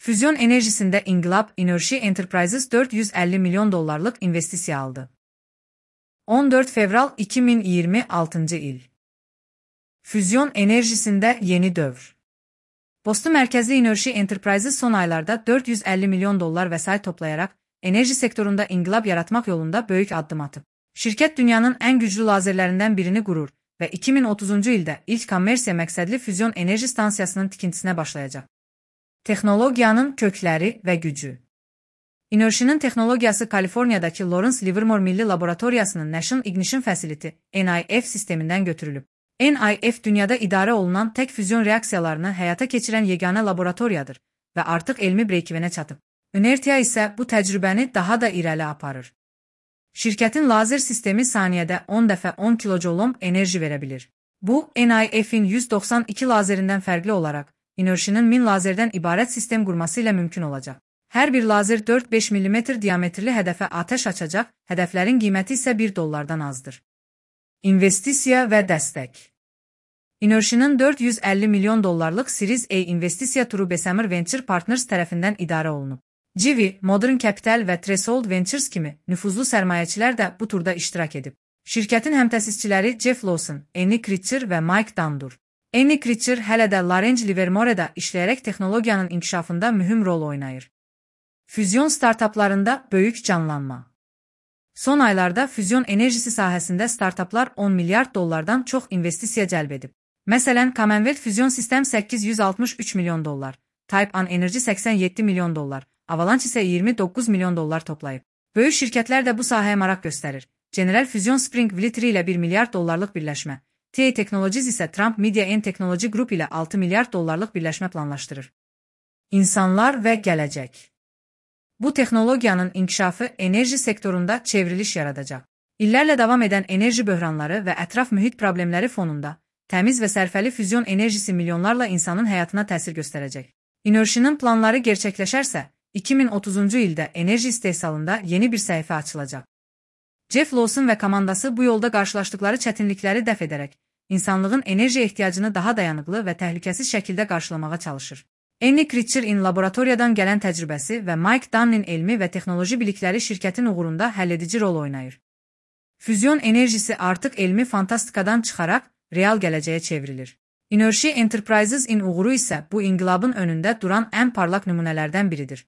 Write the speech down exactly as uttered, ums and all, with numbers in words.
Füzyon enerjisinde İnqilab Enerji Enterprises dört yüz əlli milyon dollarlıq investisiya aldı. on dörd fevral iki min iyirmi altıncı il. Füzyon enerjisində yeni dövr. Boston mərkəzli Enerji Enterprises son aylarda dörd yüz əlli milyon dollar vəsait toplayaraq enerji sektorunda inqilab yaratmaq yolunda böyük addım atıb. Şirkət dünyanın ən güclü lazerlərindən birini qurur və iki min otuzuncu ildə ilk kommersiya məqsədli füzyon enerji stansiyasının tikintisinə başlayacaq. Texnologiyanın kökləri və gücü. Enerjinin texnologiyası Kaliforniyadakı Lawrence Livermore Milli Laboratoriyasının National Ignition Facility N I F sistemindən götürülüb. N I F dünyada idarə olunan tək füzyon reaksiyalarını həyata keçirən yeganə laboratoriyadır və artıq elmi breykivənə çatıb. Inertia isə bu təcrübəni daha da irəli aparır. Şirkətin lazer sistemi saniyədə on dəfə on kilojoulom enerji verə bilir. Bu, N I F'in yüz doxsan iki lazerindən fərqli olaraq, enerjinin min lazerdən ibarət sistem qurması ilə mümkün olacaq. Hər bir lazer dörd beş millimetr diametrli hədəfə atəş açacaq, hədəflərin qiyməti isə bir dollardan azdır. İnvestisiya və dəstək. Enerjinin dörd yüz əlli milyon dollarlıq Series A investisiya turu Bessemer Venture Partners tərəfindən idarə olunub. Civi, Modern Capital və Threshold Ventures kimi nüfuzlu sərmayəçilər də bu turda iştirak edib. Şirkətin həmtəsisçiləri Jeff Lawson, Annie Critcher və Mike Dundur. Annie Critcher hələ də Lawrence Livermore'da işləyərək texnologiyanın inkişafında mühüm rol oynayır. Füzyon startaplarında böyük canlanma. Son aylarda füzyon enerjisi sahəsində startaplar on milyard dollardan çox investisiya cəlb edib. Məsələn, Commonwealth Füzyon Sistem səkkiz yüz altmış üç milyon dollar, Type One Energy səksən yeddi milyon dollar, Avalanche isə iyirmi doqquz milyon dollar toplayıb. Böyük şirkətlər də bu sahəyə maraq göstərir. General Fusion Spring Vlittri ilə bir milyard dollarlıq birləşmə, T A Technologies isə Trump Media and Technology Group ilə altı milyard dollarlıq birləşmə planlaşdırır. İnsanlar və gələcək. Bu texnologiyanın inkişafı enerji sektorunda çevriliş yaradacaq. İllərlə davam edən enerji böhranları və ətraf mühit problemləri fonunda təmiz və sərfəli füzyon enerjisi milyonlarla insanın həyatına təsir göstərəcək. Enerjinin planları gerçəkləşərsə, iki min otuzuncu ildə enerji istehsalında yeni bir səhifə açılacaq. Jeff Lawson və komandası bu yolda qarşılaşdıkları çətinlikləri dəf edərək, insanlığın enerji ehtiyacını daha dayanıqlı və təhlükəsiz şəkildə qarşılamağa çalışır. Annie Critcher-in laboratoriyadan gələn təcrübəsi və Mike Dunn'in elmi və texnoloji bilikləri şirkətin uğurunda həlledici rol oynayır. Füzyon enerjisi artıq elmi fantastikadan çıxaraq real gələcəyə çevrilir. Enerji Enterprises-in uğuru isə bu inqilabın önündə duran ən parlaq nümunələrdən biridir.